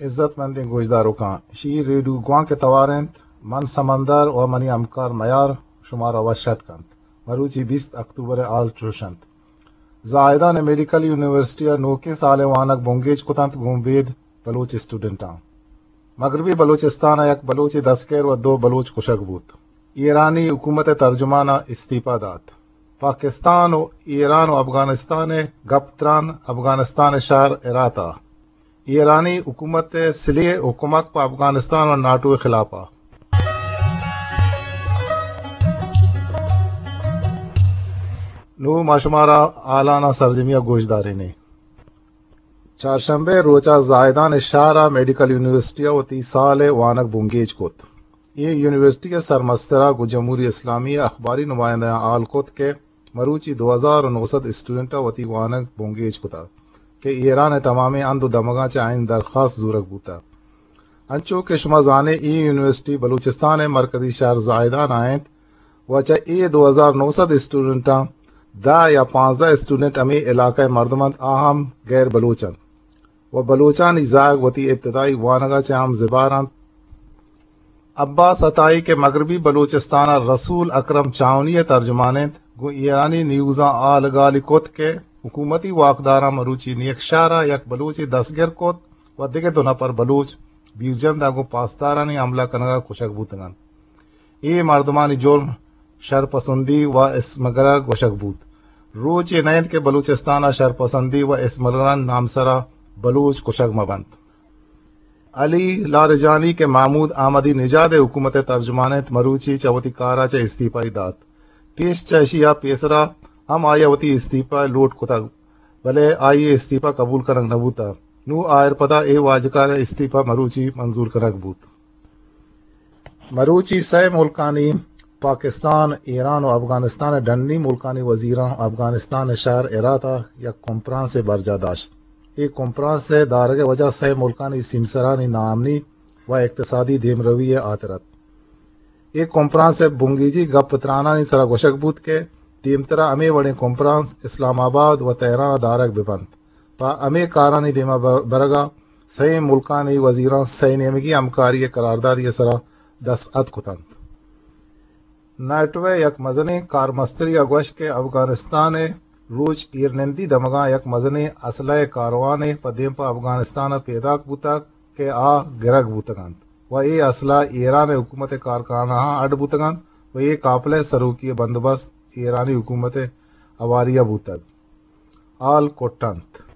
عزت مندیں گوشداروکاں، شی ریڈیو گوانک ءِ توار انت۔ من سمندر و منی ہمکار میار شمارا وش اتک کنت۔ مروچی بیست اکتوبر ءِ حال چوش انت۔ زاہدان ءِ میڈیکل یونیورسٹی ءَ نوکیں سال ءِ وانگ بنگیج کت انت گوں بید بلوچ اسٹوڈنٹاں۔ مغربی بلوچستان ءَ یک بلوچے دستگیر و دو بلوچ کشگ بوت۔ ایرانی حکومت ءِ ترجمان ءَ استعفی دات۔ پاکستان و ایران و افغانستان ءِ گپ تران افغانستان ءِ شہر ہرات ءَ۔ ایرانی حکومت ءِ سلیح و کمک پہ افغانستان و ناٹو ءِ خلاف ءَ۔ نوں ما شمارا حالاناں سرجمی ءَ گوش دارین ایں۔ چارشنبے ءِ روچ ءَ زاہدان ءِ شہر ءَ میڈیکل یونیورسٹی ءَ وتی سال ءِ وانگ بنگیج کت۔ اے یونیورسٹی ءِ سرمستر ءَ گوں جمہوری اسلامی ءِ اخباری نمائندہاں حال کت کہ مروچی دو ہزار و نو سد اسٹوڈنٹ ءَ وتی وانگ بنگیج کتگ کہ ایران ءِ تمامیں ہند و دمگاں چہ آیانی درخواست زورگ بوتگ۔ انچو کہ شما زان ئے، اے یونیورسٹی بلوچستان ءِ مرکزی شہر زاہدان ءَ انت و چہ اے دو ہزار نو سد اسٹوڈنٹاں دہ یا پانزدہ اسٹوڈنٹ ہمے علاقہ ءِ مردم انت، آ ہم غیر بلوچ انت و بلوچانی زاگ وتی ابتدائی وانگ ءَ چہ ہم زبہر انت۔ عباس عطائی کہ مغربی بلوچستان ءَ رسول اکرم چاونی ءِ ترجمان انت، گوں ایرانی نیوزاں حال گالی کت کہ حکومتی واکداراں مروچی نیکشہر ءَ یک بلوچے دستگیر کت و دگہ دو نفر بلوچ بیرجند ءَ گوں پاسدارانی حملہ کنگ ءَ کشگ بوتگ انت۔ اے مردمانی جرم شرپسندی و اسمگلر گوشگ بوت۔ روچے نہ انت کہ بلوچستان ءَ شرپسندی و اسمگلرانی نامسر ءَ بلوچ کشگ مہ بنت۔ علی لاریجانی کہ محمود احمدی نژاد ءِ حکومت ءِ ترجمان انت، مروچی چہ وتی کار ءَ چہ استعفی دات۔ پیش چہ اشی ءَ پیسر ءَ ہم آئی ءَ وتی استعفی لوٹ کتگ، بلے آئی ءِ استعفی قبول کنگ نہ بوتگ۔ نوں آئرپدا اے واجکار ءِ استعفی مروچی منظور کنگ بوت۔ مروچی سئے ملکانی، پاکستان، ایران و افغانستان ءِ ڈنی ملکانی وزیراں افغانستان ءِ شہر ہرات ءَ یک کنفرانسے برجاہ داشت۔ اے کنفرانس ءِ دارگ ءِ وجہ سئے ملکانی سیمسرانی ناامنی و اقتصادی دیمروی ءِ ہاتر ات۔ اے کنفرانس ءِ بنگیجی گپ ترانانی سرا گوشگ بوت کہ دیمترا ہمے وڑیں کنفرانس اسلام آباد و تہران ءَ دارگ بہ بنت۔ پہ ہمے کارانی دیما بر-، برگ ءَ سئیں ملکانی وزیراں سئے نیمگی ہمکاری ءِ قراردادے ءِ سرا دست اتک کت انت۔ نیٹو ءِ یک مزنیں کارمسترے ءَ گوشت کہ افغانستان ءِ روچ ایرنندی دمگاں یک مزنیں اسلحہ ءِ کاروانے پہ دیم پہ افغانستان ءَ پیداک بوتگ کہ آ گرگ بوتگ انت و اے اسلحہ ایران ءِ حکومت ءِ کارخانہاں اڈ بوتگ انت و اے قافلہ ءِ سروکی ءِ بندوبست ایرانی حکومت ءِ ہواری ءَ بوتگ۔ حال کٹ انت۔